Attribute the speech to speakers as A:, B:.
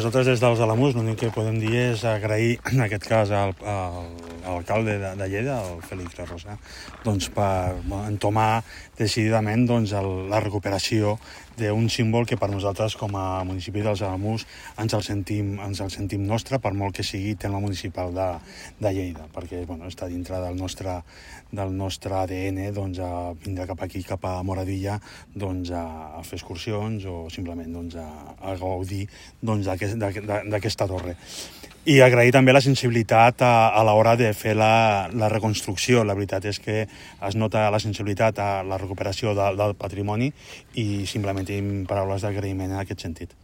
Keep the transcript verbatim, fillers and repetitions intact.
A: Nosaltres des dels Alamús l'únic que podem dir és agrair en aquest cas al, al, a l'alcalde de, de Lleida, el Félix Rosa, doncs per entomar decididament doncs, el, la recuperació d'un símbol que per nosaltres com a municipi dels Alamús ens el sentim, ens el sentim nostre, per molt que sigui tema municipal de, de Lleida, perquè bueno, està dintre del nostre, del nostre A D N doncs, a vindre cap aquí, cap a Moradilla, doncs, a, a fer excursions o simplement doncs, a, a gaudir doncs, d'aquesta torre. I agrair també la sensibilitat a, a l'hora de fer la, la reconstrucció. La veritat és que es nota la sensibilitat a la recuperació de, del patrimoni i simplement tenim paraules d'agraïment en aquest sentit.